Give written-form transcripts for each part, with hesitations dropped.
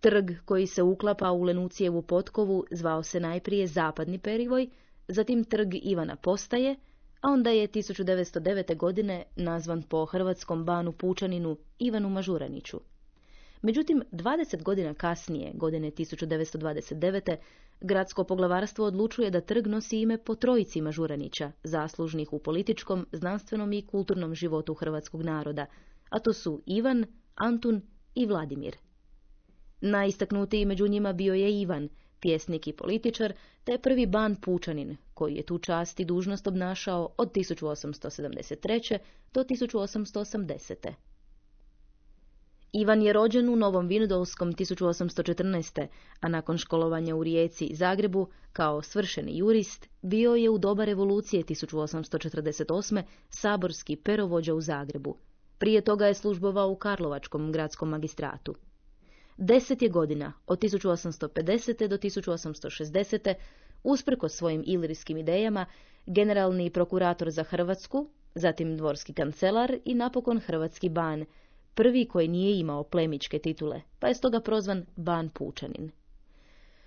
Trg koji se uklapa u Lenucijevu potkovu zvao se najprije Zapadni perivoj, zatim Trg Ivana Postaje, a onda je 1909. godine nazvan po hrvatskom banu pučaninu Ivanu Mažuraniću. Međutim, 20 godina kasnije, godine 1929. gradsko poglavarstvo odlučuje da trg nosi ime po trojici Mažuranića, zaslužnih u političkom, znanstvenom i kulturnom životu hrvatskog naroda, a to su Ivan, Antun i Vladimir. Najistaknutiji među njima bio je Ivan, pjesnik i političar, te prvi ban pučanin, koji je tu čast i dužnost obnašao od 1873. do 1880. Ivan je rođen u Novom Vinodolskom 1814. a nakon školovanja u Rijeci i Zagrebu, kao svršeni jurist, bio je u doba revolucije 1848. saborski perovođa u Zagrebu. Prije toga je službovao u Karlovačkom gradskom magistratu. 10 je godina, od 1850. do 1860. usprkos svojim ilirijskim idejama, generalni prokurator za Hrvatsku, zatim dvorski kancelar i napokon hrvatski ban, prvi koji nije imao plemićke titule, pa je stoga prozvan ban pučanin.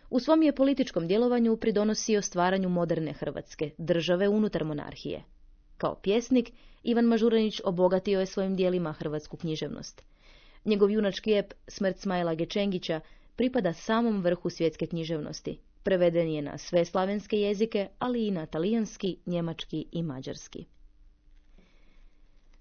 U svom je političkom djelovanju pridonosio stvaranju moderne Hrvatske, države unutar monarhije. Kao pjesnik, Ivan Mažuranić obogatio je svojim djelima hrvatsku književnost. Njegov junački ep Smrt Smaila Gečengića pripada samom vrhu svjetske književnosti. Preveden je na sve slavenske jezike, ali i na talijanski, njemački i mađarski.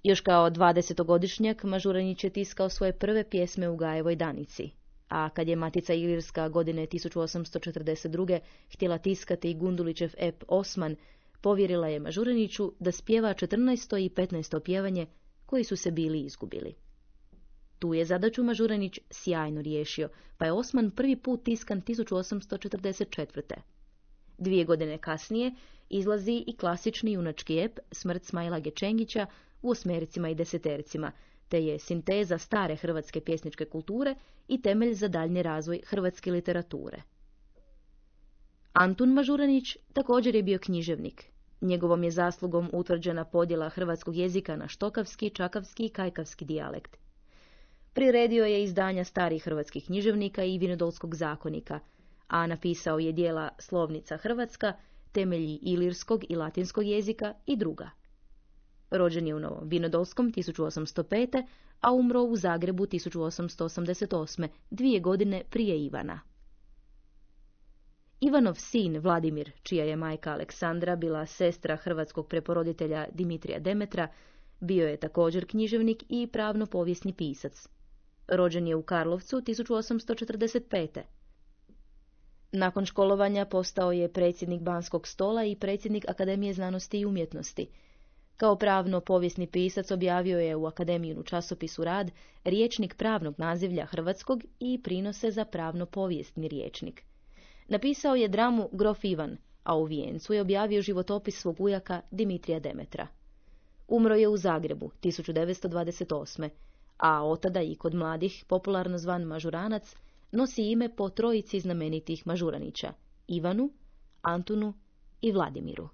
Još kao 20-godišnjak Mažuranić je tiskao svoje prve pjesme u Gajevoj Danici, a kad je Matica Ilirska godine 1842. htjela tiskati Gundulićev ep Osman, povjerila je Mažuraniću da spjeva 14. i 15. pjevanje koji su se bili izgubili. Tu je zadaću Mažuranić sjajno riješio, pa je Osman prvi put tiskan 1844. 2 godine kasnije izlazi i klasični junački ep Smrt Smaila Gečengića u 8 i 10, te je sinteza stare hrvatske pjesničke kulture i temelj za daljnji razvoj hrvatske literature. Antun Mažuranić također je bio književnik. Njegovom je zaslugom utvrđena podjela hrvatskog jezika na štokavski, čakavski i kajkavski dijalekt. Priredio je izdanja starih hrvatskih književnika i Vinodolskog zakonika, a napisao je djela Slovnica Hrvatska, temelji ilirskog i latinskog jezika i druga. Rođen je u Novom Vinodolskom 1805. a umro u Zagrebu 1888. 2 godine prije Ivana. Ivanov sin Vladimir, čija je majka Aleksandra bila sestra hrvatskog preporoditelja Dimitrija Demetra, bio je također književnik i pravno-povijesni pisac. Rođen je u Karlovcu 1845. Nakon školovanja postao je predsjednik Banskog stola i predsjednik Akademije znanosti i umjetnosti. Kao pravno-povijesni pisac objavio je u Akademijinu časopisu Rad rječnik pravnog nazivlja hrvatskog i prinose za pravno-povijesni rječnik. Napisao je dramu Grof Ivan, a u Vijencu je objavio životopis svog ujaka Dimitrija Demetra. Umro je u Zagrebu 1928. a otada i kod mladih, popularno zvan Mažuranac, nosi ime po trojici znamenitih Mažuranića, Ivanu, Antunu i Vladimiru.